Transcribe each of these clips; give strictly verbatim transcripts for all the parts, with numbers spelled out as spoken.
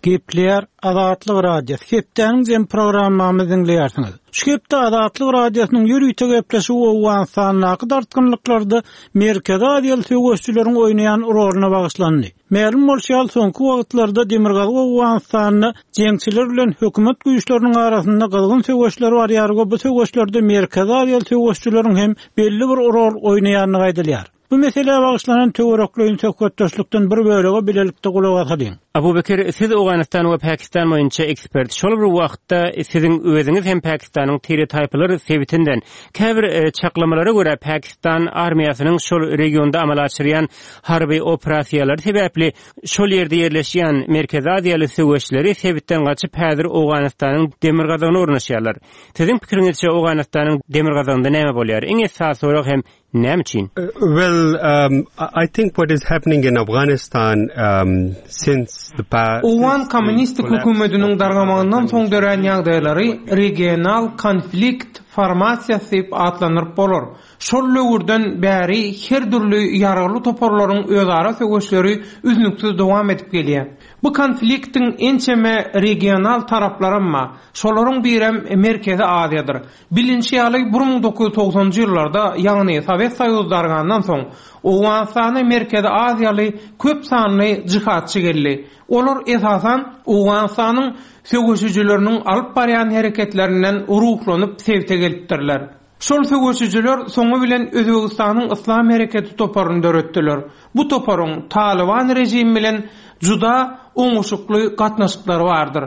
Gepleýär Azatlyk Radiosy. Hepdäniň jem programmamyzy diňleýärsiňiz. Şu hepde Azatlyk Radiosynyň ýörite gepleşigi Owganystandaky dartgynlyklarda Merkezi Aziýaly söweşçileriň oýnaýan roluna bagyşlandy. Mälim bolşy ýaly soňky wagtlarda Demirgazyk Owganystanda jeňçiler bilen hökümet güýçleriniň arasynda gyzgyn söweşler barýar we bu söweşlerde Merkezi Aziýaly söweşçileriň hem belli bir rol oýnaýandygy aýdylýar. Bu meselä bagyşlanan töwerekleýin söhbetdeşlikden bir bölege bilelikde gulak asalyň. Abu Bekir, siz Owganystan we Pakistan boýunça ekspert. Şol bir wagtda siziň özüňiz hem Pakistanyň tire taýpalar sebitinden käbir e, çaklamalara görä Pakistan armiýasynyň şol regionda amala aşyrýan harby operasiýalary sebäpli şol ýerde ýerleşýän Merkezi Aziýaly söweşleri sebitden gaçyp häzir Owganystanyň demirgazygyna ornaşýarlar. Siziň pikiriňizçe Owganystanyň demirgazygynda näme bolýar? Iň esasy sorag hem näme üçin? Uh, well, um, I think what is happening in Afghanistan um, since the past Owgan kommunistik hökümetiniň dargamagyndan soň dörän ýagdaýlary regional konflikt formasiýasy diýip atlandyryp bolar. Şol döwürden bäri her dürli ýaragly toparlaryň özara söweşleri üznüksiz dowam edip gelýär. Bu konfliktiň ençeme regional taraplaram bar. Şolaryň birem Merkezi Aziýadyr. Bilinşi ýaly bir müň dokuz ýüz togsanjy ýyllarda, ýagny Sowet Soýuzy dargandan soň Owganystana Merkezi Aziýaly köp sanly jihatçy geldi. Olar esasan Owganystanyň söweşijileriniň alyp barýan hereketlerinden ruhlanyp sebite gelipdirler. Şol söweşijiler soňy bilen Özbegistanyň Yslam hereketi toparyny döretdiler. Bu toparyň Taliban rejimi bilen juda oňuşykly gatnaşyklary bardyr.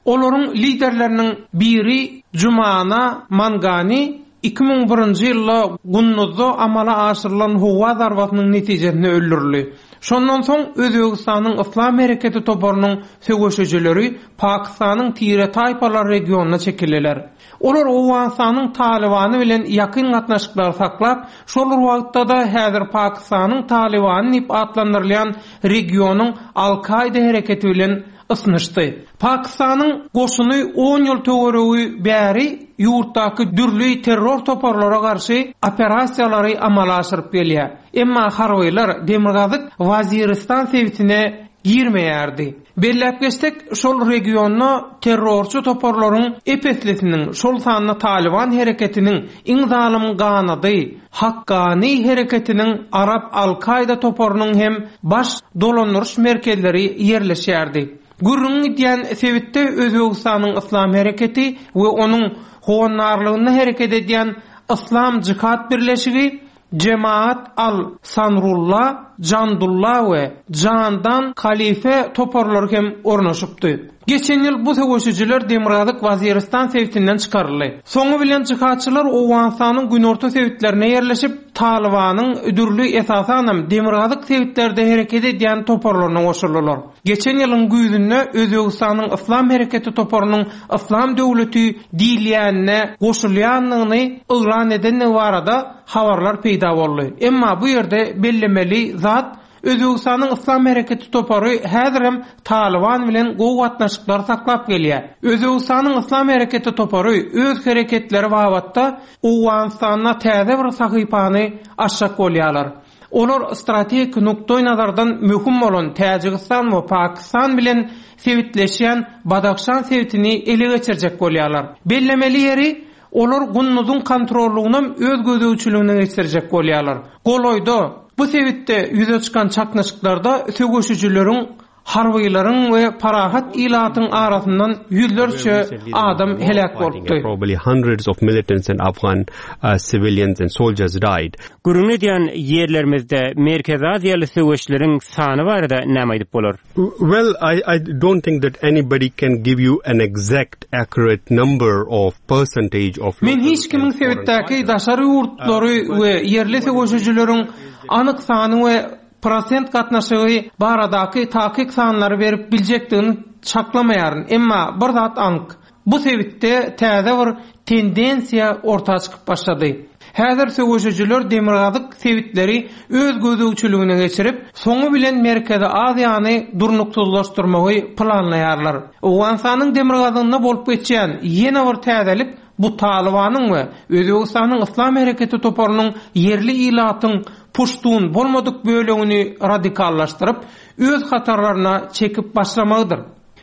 Olaryň liderleriniň biri Jumana Mangani iki müň birinji ýylda Gunduzda amala aşyrylan howa zarbasynyň netijesinde öldürildi. Şondan soň Özbegistanyň Yslam hereketi toparynyň söweşijileri Pakistanyň tire taýpalar regionyna çekildiler. Olar Owganystanyň Talibany bilen ýakyn gatnaşyklary saklap, şol bir wagtda-da häzir Pakistanyň Talibany diýip atlandyrylýan regionyň Al-Kaida hereketi bilen ysnyşdy. Pakistanyň goşuny on ýyl töweregi bäri ýurtdaky dürli terror toparlara garşy operasiýalary amala aşyryp gelýär. Emma harbylar Demirgazyk Waziristan sebitine girmeýärdi. Belläp geçsek, şol regionda terrorçy toparlaryň epeslisiniň, şol sanda Taliban hereketiniň iň zalym ganady, Hakkani hereketiniň Arap Al-Kaida toparynyň hem baş dolandyryş merkezleri ýerleşýärdi. Gürrüň gidýän sebitde Özbegistanyň Yslam hereketi we onuň howandarlygynda hereket edýän Yslam Jihat Birleşigi, Cemaat Al-Sanrulla, Jandulla we Jandan Khalife toparlary hem ornaşypdy. Geçen ýyl bu söweşijiler Demirgazyk Waziristan sebitinden çykaryldy. Soňy bilen jihatçylar Owganystanyň günorta sebitlerine ýerleşip, Talibanyň dürli esasanam Demirgazyk sebitlerde hereket edýän toparlaryna goşuldylar. Geçen ýylyň güýzünde Özbegistanyň Yslam hereketi toparynyň Yslam döwleti diýilýänine goşulýandygyny yglan edendigi barada habarlar peýda boldy. Emma bu ýerde bellemeli zat Özbegistanyň Yslam hereketi topary häzirem Taliban bilen gowy gatnaşyklary saklap gelýär. Özbegistanyň Yslam hereketi topary öz hereketleri babatda Owganystanda täze bir sahypany açjak bolýarlar. Olar strategik nukdaý nazardan möhüm bolan Täjigistan we Pakistan bilen sebitleşýän Badakşan sebitini ele geçirjek bolýarlar. Bellemeli ýeri, olar Gunduzyň kontrollugyny öz gözegçiligine geçirjek bolýarlar. Golaýda bu sebitde ýüze çykan çaknyşyklarda söweşijileriň, harbylaryň we parahat ilatyň arasyndan ýüzlerçe adam heläk bolupdy. Probably hundreds of militants and Afghan, uh, civilians and soldiers died. Gürrüň edýän ýerlerimizde Merkezi Aziýaly söweşleriň sany barada näme aýdyp bolar? Well, I, I don't think that anybody can give you an exact accurate number of percentage of Men hiç kimiň sebitdäki daşary ýurtlary we ýerli söweşijileriň anyk sany we prosent gatnaşygy baradaky takyk sanlary berip biljekdigini çaklamaýaryn. Emma bir zat anyk. Bu sebitde täze bir tendensiýa orta çykyp başlady. Häzir söweşijiler demirgazyk sebitleri öz gözegçiligine geçirip, soňy bilen Merkezi Aziýany durnuksyzlaşdyrmagy planlaýarlar. Owganystanyň demirgazygynda bolup geçýän ýene bir täzelik bu Talibanyň we Özbegistanyň Yslam hereketi toparynyň ýerli ilatyň puştun bolmadyk bölegini radikallaşdyryp, öz hatarlaryna çekip başlamagydyr.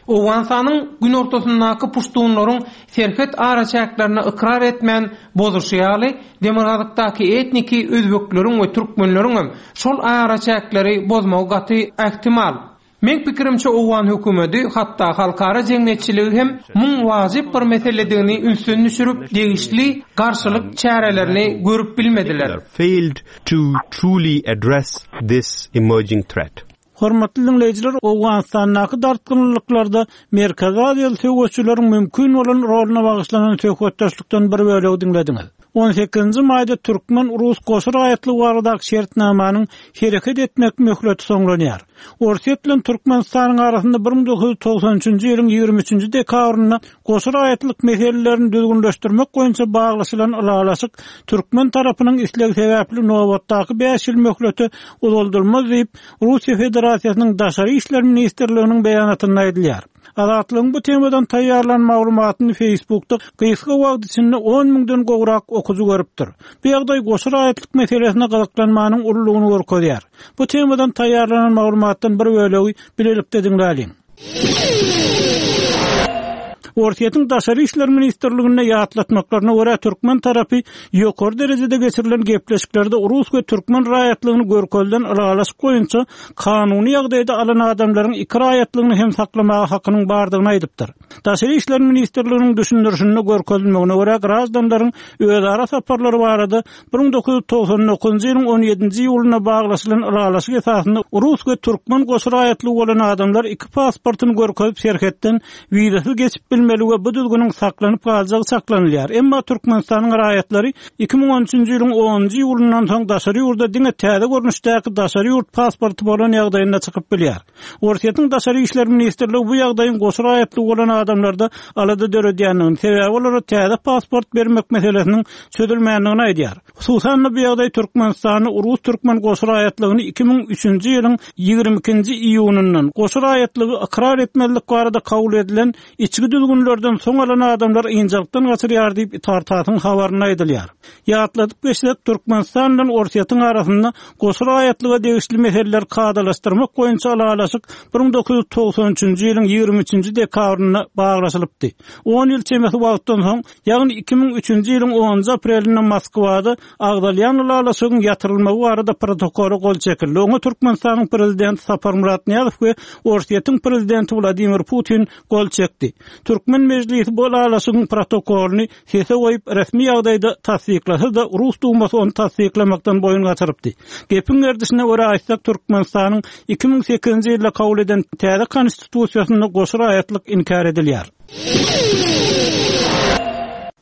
Owganystanyň günortasyndaky puştunlaryň serhet araçäklerini ykrar etmän bozuşy ýaly, demirgazykdaky etniki özbekleriň we türkmenleriň hem şol araçäkleri bozmagy gaty ähtimal. Meň pikirimçe Owgan hökümeti, hatda halkara jemgyýetçiligi hem muň wajyp bir meseledigini ünsden düşürip, degişli garşylyk çärelerini görüp bilmediler. Failed to truly address this emerging threat. Hormatly dinleýjiler, Owganystandaky dartgynlyklarda Merkezi Aziýaly söweşçileriň mümkin bolan roluna bagyşlanan söhbetdeşlikden bir bölegi diňlediňiz. on sekizinji maýda Türkmen-Rus goşa raýatlygy baradaky şertnamanyň hereket etmek möhleti soňlanýar. Orsýet bilen Türkmenistanyň arasynda bir müň dokuz ýüz togsan üçünji ýylyň ýigrimi üçünji dekabrynda goşa raýatlyk meselelerini düzgünleşdirmek boýunça baglaşylan ylalaşyk türkmen tarapynyň islegi sebäpli nobatdaky bäş ýyl möhleti uzaldylmaz diýip, Russiýa Federasiýasynyň Daşary işler ministrliginiň beýanatynda aýdylýar. Azatlygyň bu temadan taýýarlan maglumatyny Facebookda gysga wagt içinde on müňden gowrak okyjy görüpdir. Bu ýagdaý goşa raýatlyk meselesine gyzyklanmanyň ululygyny görkezýär. Bu temadan taýýarlanan maglumatdan bir bölegi bilelikde diňläliň. Orsýetiň Daşary işler ministrliginde ýatlatmaklaryna görä türkmen tarapy ýokary derejede geçirilen gepleşiklerde rus we türkmen raýatlygyny görkezilen ylalaşyk boýunça kanuny ýagdaýda alan adamlaryň iki raýatlygyny hem saklamaga hakynyň bardygyny aýdypdyr. Daşary işler ministrliginiň düşündirişinde görkezilmegine görä grajdanlaryň özara saparlary barada bir müň dokuz ýüz togsan dokuzunjy ýylyň on ýedinji iýulynda baglaşylan ylalaşyk esasynda rus we türkmen goşa raýatlygy bolan adamlar iki pasportyny görkezip serhetden wizasyz geçip bilmeli we bu düzgüniň saklanyp galjagy saklanylýar. Emma Türkmenistanyň raýatlary iki müň on üçünji ýylyň onunjy iýulyndan soň daşary ýurda diňe täze görnüşdäki daşary ýurt pasporty bolan ýagdaýynda çykyp bilýär. Orsýetiň Daşary işler ministrligi bu ýagdaýyň goşa raýatlygy bolan adamlarda alada döredýändigini, sebäbi olara täze pasport bermek meselesiniň çözülmändigini aýdýar. Hususan bu ýagdaý Türkmenistanyň rus türkmen goşa raýatlygyny iki müň üçünji ýylyň ýigrimi ikinji iýunyndan goşa raýatlygy ykrar etmezlik barada kabul edilen içki düzgünlerden soň alan adamlar ynjalykdan gaçyrýar diýip Itartasyň habarynda aýdylýar. Ýatladyp geçsek, Türkmenistan bilen Orsýetiň arasynda goşa raýatlyga degişli meseleler kadalaşdyrmak boýunça ylalaşyk bir müň dokuz ýüz togsan üçünji ýylyň ýigrimi üçünji dekabrynda baglaşylypdy. On ýyl çemesi wagtdan soň, ýagny iki müň üçünji ýylyň onunjy aprelinde Moskwada agzalýan ylalaşygyň ýatyrylmagy barada protokola gol çekildi. Oňa Türkmenistanyň prezidenti Saparmyrat Nyýazow we Orsýetiň prezidenti Wladimir Putin gol çekdi. Türkmen mejlisi bu ylalaşygyň protokolyny sese goýup resmi ýagdaýda tassyklasa da Rus dumasy ony tassyklamakdan boýun gaçyrypdy. Gepiň gerdişine görä aýtsak, Türkmenistanyň iki müň sekizinji ýylda kabul eden täze konstitusiýasynda goşa raýatlyk inkär edilýär.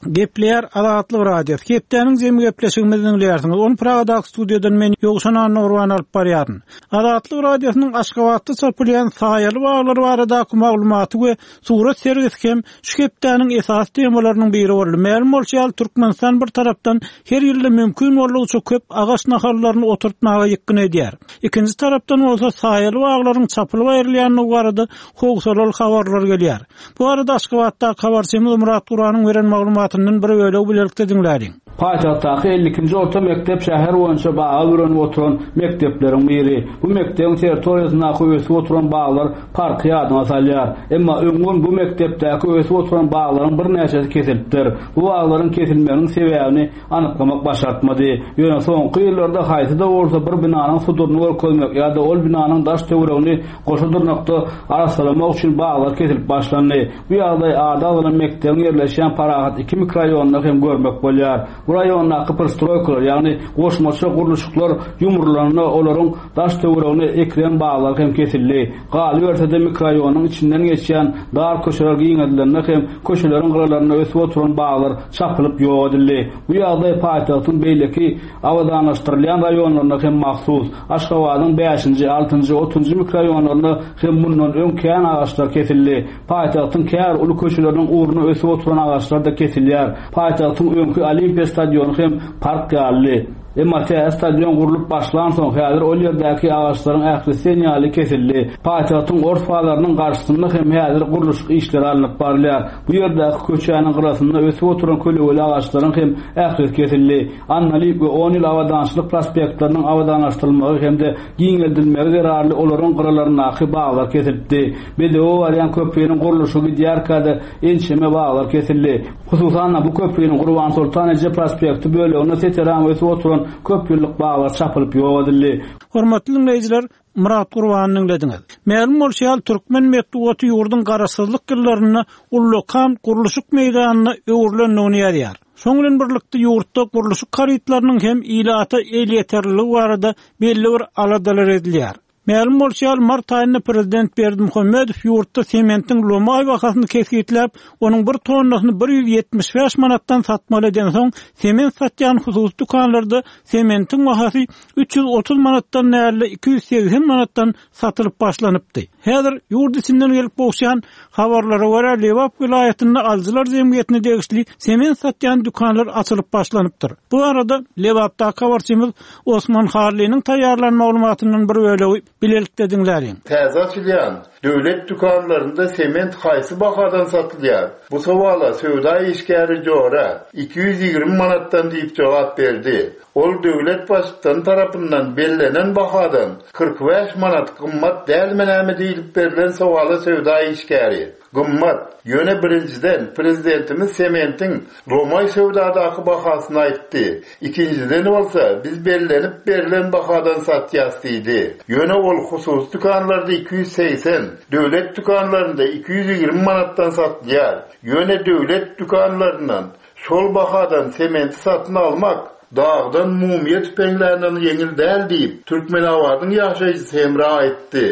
Gepleýär Azatlyk Radiosy. Hepdäniň jemi gepleşigimizi diňleýärsiňiz. Ony Pragadaky studiýadan men Ýowşan Annagurban alyp barýaryn. Azatlyk Radiosynyň Aşgabatda çapylýan saýaly baglar baradaky maglumaty we surat sergisi hem şu hepdäniň esasy temalarynyň biri boldy. Mälim bolşy ýaly, Türkmenistan bir tarapdan her ýylda mümkin boldugyça köp agaç nahallaryny oturtmaga ýykgyn edýär. Ikinji tarapdan bolsa saýaly baglaryň çapylyp aýrylýandygy barada howsalaly habarlar gelýär. Bu arada Aşgabatdaky habarçymyz Murat Guranyň beren maglumatyndan bir bölegi bilelikde diňläliň. Paýtagtdaky elli ikinji orta mekdep şäher boýunça baga bürenip oturan mekdepleriň biri. Bu mekdebiň territoriýasyndaky ösüp oturan baglar parky ýadyna salýar. Emma öňňün bu mekdepdäki ösüp oturan baglaryň birnäçesi kesilipdir. Bu baglaryň kesilmeginiň sebäbini anyklamak başartmady. Ýöne soňky ýyllarda haýsy-da bolsa bir binanyň suduryny görkezmek ýa-da ol binanyň daş töweregini goşa dyrnakda arassalamak üçin baglar kesilip başlandy. Bu ýagdaý ady agzalan mekdebiň ýerleşýän Parahat iki mikroraýonynda hem görmek bolýar. Bu raýondaky prostroýkalar, ýagny goşmaça gurluşyklar ýumrulanda olaryň daş töweregine ekilen baglar hem kesildi. Galyberse-de mikroraýonyň içinden geçýän dar köçeler giňedilende hem köçeleriň gyralarynda ösüp oturan baglar çapylyp ýok edildi. Bu ýagdaý paýtagtyň beýleki abadanlaşdyrylýan raýonlarynda hem mahsus. Aşgabadyň bäşinji, altynjy, otuzunjy mikroraýonlarynda hem mundan öň kän agaçlar kesildi. Paýtagtyň kär uly köçeleriniň ugruna ösüp oturan agaçlar da kesilýär. Paýtagtyň öňki Olimpiýa stadiony hem park ýalydy. Emma täze stadion gurlup başlansoň häzir ol ýerdäki agaçlaryň ählisi ýaly kesildi. Paýtagtyň ors bazarynyň garşysynda hem häzir gurluşyk işleri alnyp barylýar. Bu ýerdäki köçäniň gyrasynda ösüp oturan kölegeli agaçlaryň hem ählisi kesildi. Annaly we on ýyl abadançylyk prospektleriniň abadanlaşdyrylmagy hem-de giňeldilmegi zerarly olaryň gyralaryndaky baglar kesildi. Bedewe barýan köprüniň gurluşygy gidýärkä-de ençeme baglar kesildi. Hususan bu köprüniň Gurban Sultan Eje prospekti böleginde seteran ösüp oturan köp ýyllyk baglar çapylyp ýok edildi. Hormatly dinleýjiler, Murat Gurbanyny dinlediňiz. Mälim bolşy ýaly türkmen metbugaty ýurduň garaşsyzlyk ýyllarynda ullakan gurluşyk meýdanyna öwrülendigini ýazýar. Şoň bilen birlikde ýurtda gurluşyk harytlarynyň hem ilata elýeterliligi barada belli bir aladalar edilýär. Mälim bolşy ýaly mart aýynda prezident Berdimuhamedow ýurtda sementiň lomaý bahasyny kesgitläp, onuň bir tonnasyny bir ýüz ýetmiş bäş manatdan satmaly eden soň, sement satýan hususy dükanlarda sementiň bahasy üç ýüz otuz manatdan näle iki ýüz segsen manatdan satylyp başlanypdy. Häzir ýurt içinden gelip gowşan habarlara görä Lebap welaýatynda alyjylar jemgyýetine degişli sement satýan dükanlar açylyp başlanypdyr. Bu arada Lebapdaky habarçymyz Osman Harlynyň taýýarlan maglumatyndan bir bölegi bilelikde diňläliň. Täze açylýan döwlet dükanlarynda sement haýsy bahadan satylýar? Bu sowala söwda işgäri Jora iki ýüz ýigrimi manatdan diýip jogap berdi. Ol döwlet baştutan tarapyndan bellenen bahadan kyrk bäş manat gymmat dälmi näme diýilip berlen sowala söwda işgäri gymmat. Ýöne birinjiden prezidentimiz sementiň lomaý söwdadaky bahasyny aýtdy. Ikinjiden bolsa biz bellenip berlen bahadan satýas diýdi. Ýöne ol hususy dükanlarda iki ýüz segsen, döwlet dükanlarynda iki ýüz ýigrimi manatdan satylýar. Ýöne döwlet dükanlaryndan şol bahadan sementi satyn almak dağdan mumyýa tüpeňlerinden ýeňil däl diýip Türkmenabadyň ýaşaýjysy Hemra aýtdy.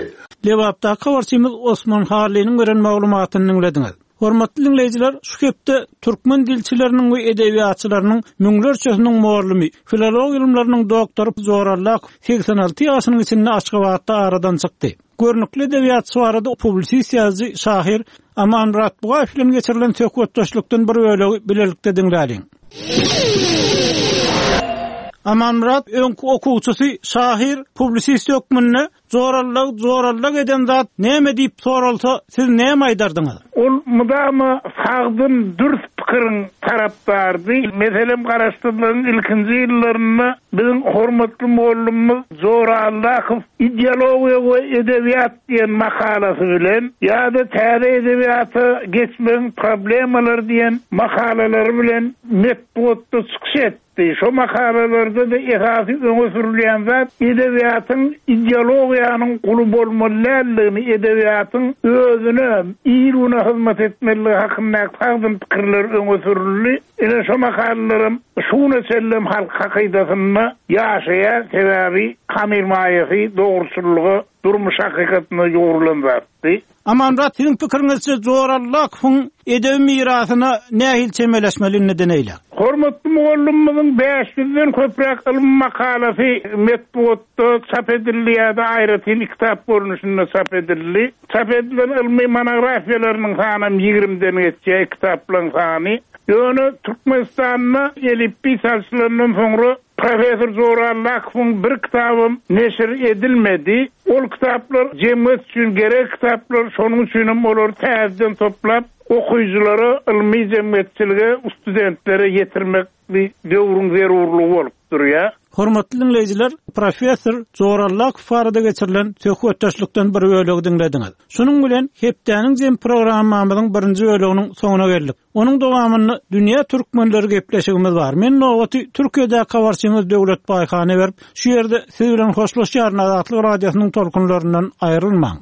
Lebapdaky habarçymyz Osman Harlynyň beren maglumatyny diňlediňiz. Hormatly dinleýjiler, şu hepde türkmen dilçileriniň we edebiýatçylarynyň müňlerçesiniň muallymy, filologiýa ylymlarynyň doktory Jora Allakow segsen alty ýaşynyň içinde Aşgabatda aradan çykdy. Görnükli edebiýatçy barada publisist ýazyjy şahyr Amanmyrat Bugaýew bilen geçirilen söhbetdeşlikden bir bölegi bilelikde diňläliň. Amanmyrat öňki okuwçysy şahyr publisist hökmünde Jorallag, jorallag eden zat näme diýip soralsa, siz näme aýdardyňyz? Ol mudama sagdyn dürs pikiriň tarapdardy. Meselem, garaşsyzlygyň ilkinji ýyllarynda biziň hormatly mugallymymyz Jora Allakow ideologiýa we edebiýat diýen makalasy bilen ýa-da täze edebiýata geçmegiň problemalary diýen makalalary bilen metbugatda çykyş etdi. Şo makalalarda da esasy öňe sürülýän zat edebiýatyň ideologiýanyň guly bolmaly däldigini, edebiýatyň özüne il-güne hyzmat etmeligi hakyndaky sagdyn pikirler öňe sürüldi. Ine şo makalalaram şuna çenlem halk hakydasynda ýaşaýar, sebäbi hamir maýasy dogruçyllyga, durmuş hakykatyna ýugrulan zatdy. Amanmyrat, siziň pikiriňizçe Jora Allakowyň edebi mirasyna nähili çemeleşmeli indiden eýle? Hormatly mugallymymyzyň bäş ýüzden köpräk ylmy makalasy metbugatda çap edildi ýa-da aýratyn kitap görnüşinde çap edildi. Çap edilen ylmy monografiýalarynyň sany ýigrimden geçýär, kitaplaryň sany. Ýöne Türkmenistanda elipbiý çalşylandan soňra Professor Jora Allakowyň bir kitabym neşir edilmedi. Ol kitaplar jemgyýet üçin gerek kitaplar, şonuň üçin hem olary täzeden toplap okyjylara, ylmy jemgyýetçilige, studentlere ýetirmek bir döwrüň zerurlygy bolup durýar. Hormatly dinleýjiler, Professor Jora Allakow barada geçirilen söhbetdeşlikden bir bölegi diňlediňiz. Şunuň bilen hepdäniň jem programmamyzyň birinji böleginiň soňuna geldik. Onuň dowamynda Dünýä Türkmenleri gepleşigimiz bar. Men nowaty Türkiýedäki habarçymyz Döwlet Baýhana berip, şu ýerde siz bilen hoşlaşýaryn. Azatlyk radiosynyň tolkunlaryndan aýrylmaň.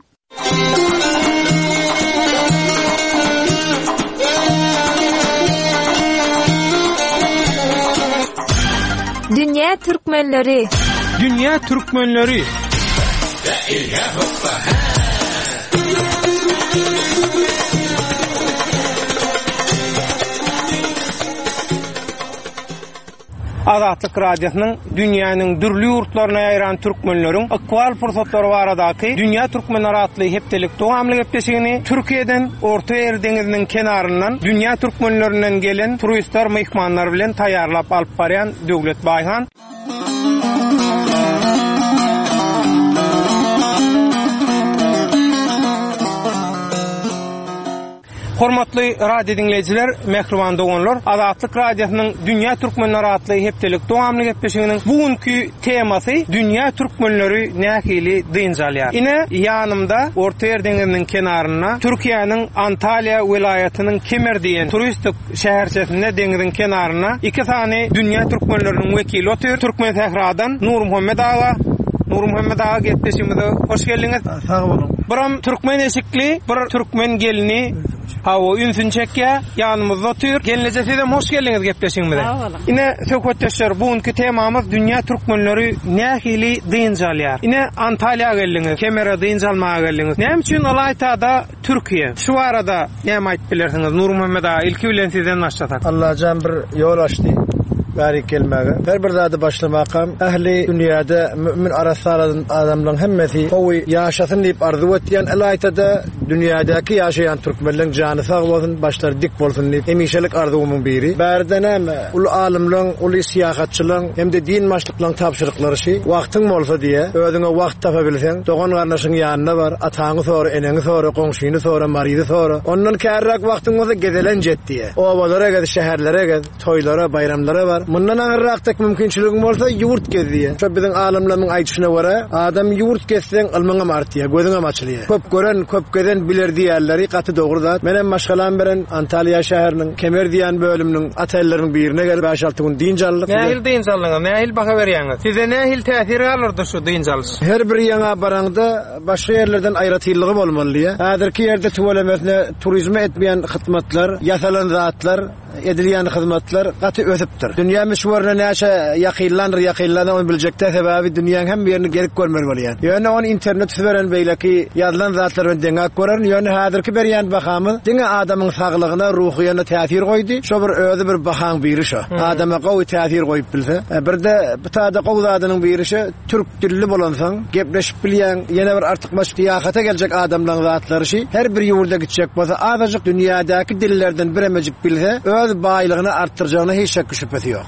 Dünýä Türkmenleri. Dünýä Türkmenleri. Azatlyk Radiosynyň dünýäniň dürli ýurtlaryna ýaýran türkmenleriň ykbal pursatlary baradaky Dünýä Türkmenleri atly hepdelik dowamly gepleşigini Türkiýeden Orta Ýer deňiziniň kenaryndan dünýä türkmenlerinden gelen turistler, myhmanlar bilen taýýarlap alyp barýan Döwlet Baýhan. Hormatly radio diňleýjiler, mähriban doganlar, Azatlyk Radiosynyň Dünýä Türkmenleri atly hepdelik dowamly gepleşiginiň bugünkü temasy Dünýä Türkmenleri nähili dynç alýar. Ine ýanymda Ortaýer deňiziniň kenarynda Türkiýäniň Antalýa welaýatynyň Kemer diýen turistik şäherçesinde deňiziň kenarynda iki sany Dünýä Türkmenleriniň wekili otyr. Türkmen Sähradan Nurmuhammet aga, Nurmuhammet aga gepleşigimize hoş geldiňiz. Sag boluň. Biram türkmen eşikli bir türkmen gelini Hawa, ünsün çekýär, ýanymyzda otyr. Gelneje siz hem hoş geldiňiz gepleşigimize. Sag boluň. Ine söhbetdeşler, bugünkü temamyz dünýä türkmenleri nähili dynç alýar. Ine Antalýa geldiňiz, Kemere dynç almaga geldiňiz. Näme üçin Alaytada Türkiýe? Şu arada näme aýdyp bilersiňiz Nurmuhammet aga, ilki bilen sizden başlasak. Allajan bir ýol açdy. Bärik gelmäge. Her bir zady başlamakam ähli dünýäde mümin arassalan adamlaryň hemmesi gowy ýaşasyn diýip arzuw etýän Alaytada dünýädäki ýaşaýan türkmenleň jany sag bolsun, başlary dik bolsun diýip hemişelik arzuwymyň biri. Bärde näme? Ulu alymlaryň, uly syýahatçylaryň hem-de din başlyklaryň tabşyryklary şi, wagtyň bolsa diýe, özüňe wagt tapa bilseň, dogan gardaşyň ýanyna bar, ataňy sora, eneňi sora, goňşyny sora, maryzy sora. Ondan kärräk wagtyň bolsa gezelen jet diýe. Obalara gez, şäherlere gez, toýlara, baýramlara bar. Mundan agyrrakdak mümkinçiligiň bolsa ýurt gez diýe. Şo biziň alymlaryň aýdyşyna görä, adam ýurt gezseň ylmyňam artýar, gözüňem açylýar. Köp gören, köp gezen biler diýerleri gaty dogry zat. Menem maşgalam bilen Antalýa şäheriniň Kemer diýen bölüminiň otelleriniň birine gelip beş alty gün dynç aldyk. Nähili dynç aldyňyz? Nähili baha berýäňiz? Size nähili täsir galdyrdy şu dynç alyş? Her bir ýaňa baraňda başga ýerlerden aýratynlygy bolmaly diýe. Häzirki ýerde tüwelemesine turizme etmeýän hyzmatlar, ýasalan zatlar, edilýän hyzmatlar gaty ösüpdir. Dünýä müşwerine näçe ýakynlandyr, ýakynlandyr ony biljekde sebäbi dünýäň hem ýerini gelip görmeli bolýar. Ýöne ony internet süberen beýleki ýazylan zatlar bilen deňäp görerin. Ýöne häzirki berýän bahamyz diňe adamyň saglygyna, ruhyna täsir goýdy. Şo bir özi bir bahaň biri şo. Adama gowy täsir goýup bilse. E, bir de bu tada gowy zadynyň biri şo, türk dilli bolansoň, gepleşip bilýän, ýene bir artykmaç syýahata geljek adamlaryň zatlary şi, her bir ýurda gitjek bolsa azajyk dünýädäki dillerden biremejik bilse, öz baýlygyny artdyrjagyna hiç şek şübhesi ýok.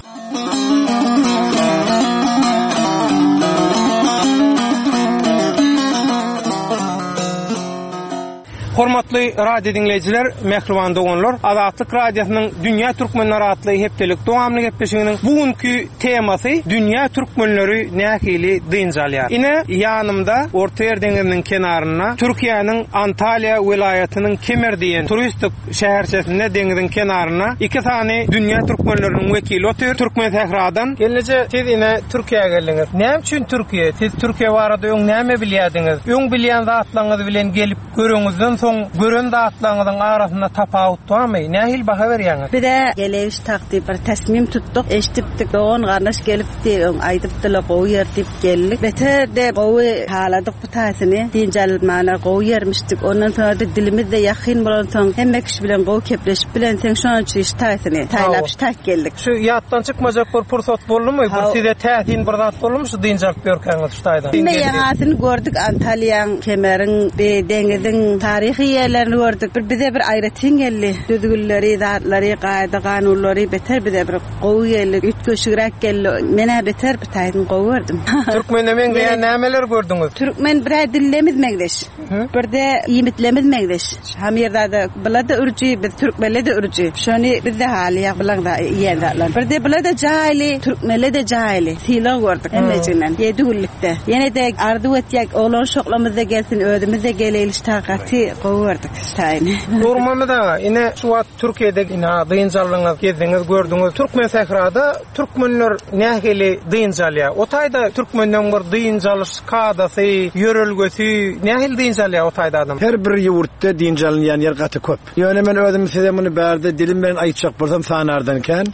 Hormatly radio diňleýjiler, mähriban doganlar, Azatlyk Radiosynyň Dünýä Türkmenleri atly hepdelik dowamly gepleşiginiň bugünkü temasy Dünýä Türkmenleri nähili dynç alýar. Ine ýanymda Ortaýer deňiziniň kenarynda Türkiýäniň Antalýa welaýatynyň Kemer diýen turistik şäherçesinde deňiziň kenarynda iki sany Dünýä Türkmenleriniň wekili otyr. Türkmen Sähradan. Gelneje, siz ine Türkiýä geldiňiz. Näme üçin Türkiýe? Siz Türkiýe barada öň näme bilýärdiňiz? Öň bilýän zatlaryňyz bilen gelip göreňizden soň gören zatlaryňyzyň arasynda tapawut barmy? Nähili baha berýäňiz? Bize geleýiş takdy bir tesmim tutduk. Eşitdik, dogan gardaş gelipdi, öň aýdypdylar, gowy ýer diýip geldik. Beter de gowy haladyk bu taýsyny. Dynç almana gowy ýermişdik. Ondan sonra da dilimiz de ýakyn bolan soň hemme kişi bilen gowy kepleşip bilen sen şonuň üçin iş taýsyny taýlap şu taýt geldik. Şu ýatdan çykmajak bir pursat boldumy? Bir size täsin bir zat boldumy şu dynç alyp ýörkäňiz şu taýdan? Hemme ýaňasyny gördük Antalýaň, Kemeriň, be deňiziň taryhy ýerlerini gördük. Bir bize bir aýratyn geldi. Düzgünleri, zatlary, gaýda kanunlary beter bize bir gowy geldi. Üýtgeşigräk geldi. Menä beter bir taýdan gowy gördüm. Türkmende meňzeýän nämeler gördüňiz? Türkmen bir dillemiz meňzeş. Bir de iýmitlerimiz meňzeş. Hem ýerde bula da ürji, biz türkmenler de ürji. Şony biz de haly ýa bilen da iýen zatlar. Bir de bula da jaýly, türkmenler de jaýly. Sylag gördük hemmejinden. Ýedi günlükde. Ýene de arzuw etýäk, oglan şoklamyz da gelsin, özümiz de geleýliş takaty gowy gördük taýyny. Nurmuhammet aga, ine şu wagt Türkiýede ine dynç aldyňyz, gezdiňiz, gördüňiz. Türkmen sährada türkmenler nähili dynç alýar? O taýda türkmenden bir dynç alyş kadasy, ýörelgesi nähili dynç alýar o taýda adam? Her bir ýurtda dynç alynýan ýer gaty köp. Ýöne men özüm size muny bärde dilim bilen aýtjak bolsam sanardan kän.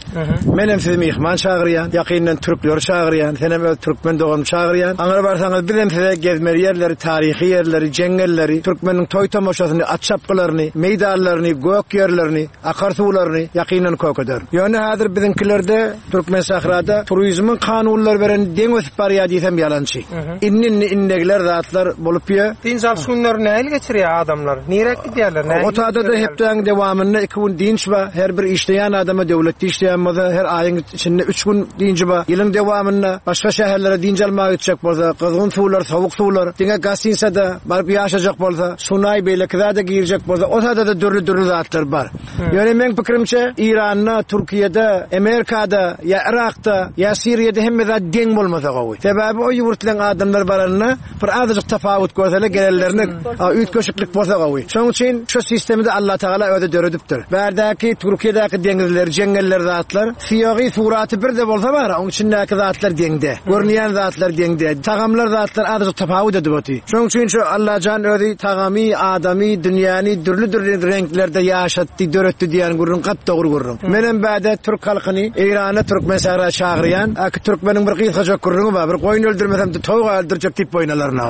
Menem sizi myhman çagyrýan, ýakyndan türkleri çagyrýan, senem öz türkmen doganymy çagyrýan. Aňra barsaňyz bizem size gezmeli ýerleri, taryhy ýerleri, jeňňelleri, türkmeniň toý tomaşasyny, at çapgylaryny, meýdanlaryny, gök ýerlerini, akar suwlaryny ýakyndan kökeder. Ýöne häzir biziňkilerde Türkmen sahrada turizmiň kanunlary beren deň ösüp barýar diýsem ýalançy. Inni-inni innegler zatlar bolup ýa. Dynç alyş günleri nähili geçirýär adamlar? Nirek gidýärler? Nähili Otada da hepdäň dewamynda iki gün dynç bar. Her bir işleýän adama döwletde işleýän bolsa her aýyň içinde üç gün dynç bar. Ýylyň dewamynda başga şäherlere dynç almaga gitjek bolsa, gyzgyn suwlar, sowuk suwlar, diňe Gasinsada baryp ýaşajak bolsa, Sunaý beýleki beýleki zada girjek bolsa, o sada-da dürli-dürli zatlar bar. Ýöne meň pikirimçe Iranda, Türkiýede, Amerikada, ýa Irakda, ýa Siriýada hemme zat deň bolmasa gowy. Sebäbi o ýurtlaryň adamlar baranyna bir azajyk tapawut görseler gelenlerine üýtgeşiklik bolsa gowy. Şonuň üçin şu sistemi de Allah Taala özi döredipdir. Bärdäki Türkiýedäki deňizler, jeňňeller zatlar, syýagy suraty bir de bolsa bar, onuň içindäki zatlar deňde. Görünýän zatlar deňde. Tagamlar zatlar azajyk tapawut edip oty. Şonuň üçin şu Allajan özi tagamy, adamy, dünýäni dürli-dürli reňklerde ýaşatdy, döretdi diýen gürrüň gat dogry gürrüň. Menem bäde türk halkyny Eýrana türkmen sähra çagyrýan, aki türkmeniň bir gysgajak gürrüňi bar, bir goýun öldürmesem de towuk öldürjek diýip boýnalaryna.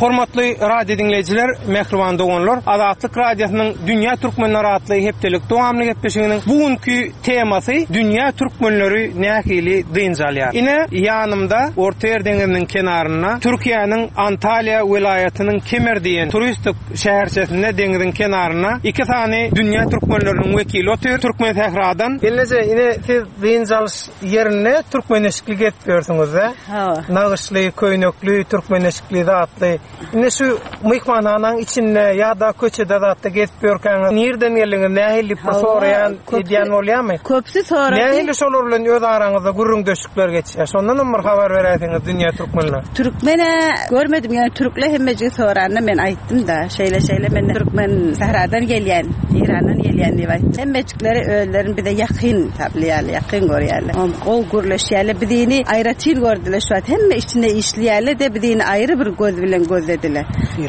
Hormatly radio dinleýjiler, mähriban doganlar, Azatlyk radiosynyň Dünýä Türkmenleri atly hepdelik dowamly gepleşiginiň bugünkü temasy Dünýä Türkmenleri nähili dynç alýar. Ine ýanymda Ortaýer deňiziniň kenarynda Türkiýäniň Antalýa welaýatynyň Kemer diýen turistik şäherçesinde deňiziň kenarynda iki sany Dünýä Türkmenleriniň wekili otyr, Türkmen sähradan. Gelneje, ine siz dynç alyş ýerinde türkmen eşikli gezip ýörsüňiz-de? Nagyşly, köýnekli, türkmen eşikli zatly. Ine şu myhmanhanaň içinde ýa-da köçede zatda gezip ýörkäňiz, nirden geldiňiz, nähili bir soraýan, edýän bolýarmy? Köpsi sorady. Nähili şolar bilen öz araňyzda gürrüňdeşlikler geçýär? Şondan hem bir habar beräýseňiz dünýä türkmenler. Türkmene görmedim, ýöne türkle hemmejigi soranda men aýtdym da, şeýle-şeýle men türkmen sähradan gelýän, Irandan gelýän diýip aýtdym. Hemmejikleri özlerini bize ýakyn taplaýarlar, ýakyn görýärler. Gowy gürleşýärler, bizini aýratyn gördüler şu wagt. Hemme içinde işleýärler de bizini aýry bir göz bilen gözlediler.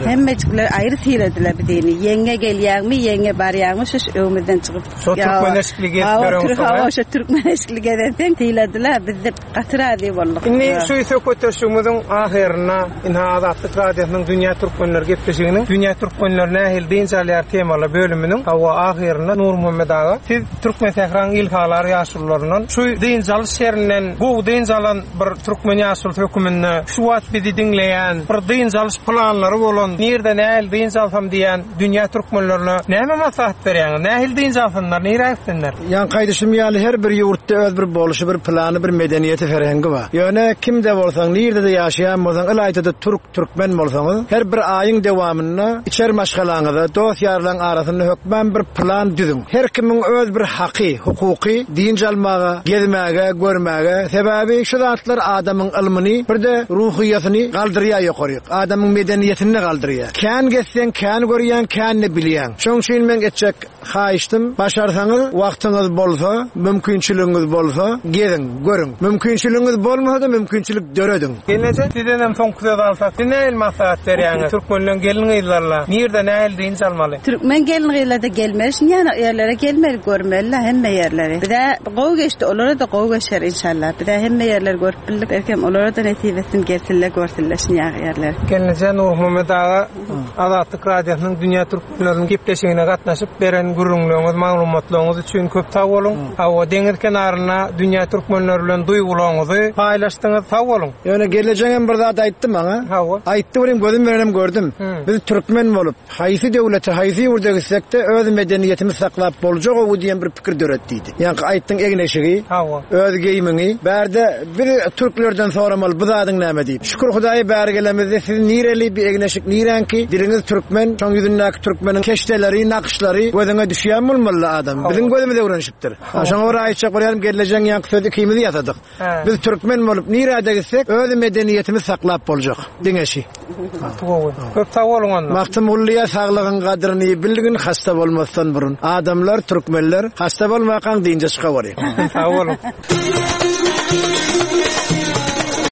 Hemmejikler aýry syrediler bizini. Ýeňňe gelýärmi, ýeňňe barýarmy, şu öwümizden çykyp. Şo türkmen eşikli gezip ýörensoň. Şo türkmen eşikli gezensoň syladiler, biz de gaty razy bolduk. Indi şu söhbetdeşligimiziň ahyrynda ine Azatlyk radiosynyň Dünýä Türkmenleri gepleşiginiň Dünýä Türkmenleri nähili dynç alýar temaly bölüminiň hawa ahyrynda Nurmuhammet aga, siz Türkmen sähraň ilhalar ýaşulularyndan şu dynç alyş ýerinden gowy dynç alan bir türkmen ýaşulusy höküminde şu wagt bizi diňleýän, bir dynç alyş planlary bolan, nirde nähili dynç alsam diýen dünýä türkmenlerine näme maslahat berýäňiz? Nähili dynç alsynlar, nirä gitsinler? Ýan gaýdyşym ýaly her bir ýurtda öz bir bolşy, bir plany, bir medeniýeti, ferhengi bar. Ýöne kimde bolsaň, nirde-de ýaşaýan bolsaň, ylaýta-da türk, türkmen bolsaňyz, her bir aýyň dowamynda içer maşgalaňyza, dost ýarlaryň arasynda hökmän bir plan düzüň. Her kimiň öz bir haky, hukuky dynç almaga, gezmäge, görmäge, sebäbi şu zatlar adamyň ylmyny, bir de ruhyýatyny galdyrýar ýokaryk. Adamyň medeniýetini galdyrýar. Kän gezseň, kän görýän, kän bilýän. Şonuň üçin men etjek haýyştym, başarsaňyz, wagtyňyz bolsa, mümkinçiligiňiz bolsa, geziň, görüň. Mümkinçiligiňiz bolmasa da mümkinçilik dörediň. Gelneje, sizden hem soňky söz alsak, siz nähili maslahat berýäňiz? Türkmenleň gelin gyzlaryna nirde nähili dynç almaly? Türkmen gelin gyzlary da gelmeli, ýa ýerlere gelmeli, görmeli hemme ýerleri. Bize gowy geçdi, olara da gowy geçer inşallah. Bize hemme ýerleri görüp bildik, erkem olara da nesip etsin, gelsinler, görsünler şuny ýerleri. Gelneje Nurmuhammet aga, Azatlyk radiosynyň Dünýä Türkmenleriniň gepleşigine gatnaşyp beren gürrüňleriňiz, maglumatlaryňyz üçin köp sag boluň. Hawa, deňiz kenarynda dünýä türkmenleri bilen duýgularyňyzy paýlaşdyňyz. Sag boluň. Ýöne gelejegem bir zat aýtdy maňa. Hawa. Aýtdy bilen gözüm bilen gördüm. Biz türkmen bolup, haýsy döwlete, haýsy ýurda gitsek-de öz medeniýetimizi saklap boljak o diýen bir pikir döretdi. Ýa aýtdyň egneşigi, öz geýimiňi, bärde bir türklerden soramaly bu zadyň näme diýip. Şükür Hudaýa bäri gelemizde siz nireli bir egneşik nirenki, diliňiz türkmen, şoň ýüzündäki türkmeniň keşdeleri, nakışlary gözüňe düşýän bolmaly adam. Biziň gözümiz öwrenişipdir. Şoňa görä aýtjak bolýarym, gelejegin ýaňky sözi ikimiz ýasadyk. Biz türkmen bolup nirede gitsek, öz medeniýetimizi saklap boljak. Diňeşi. Köp sag boluň onda. Magtymgulyya saglygyň gadryny bilgin hasta bolmasdan burun. Adamlar, türkmenler hasta bolmakan dynja çyka bolýar. Sag boluň.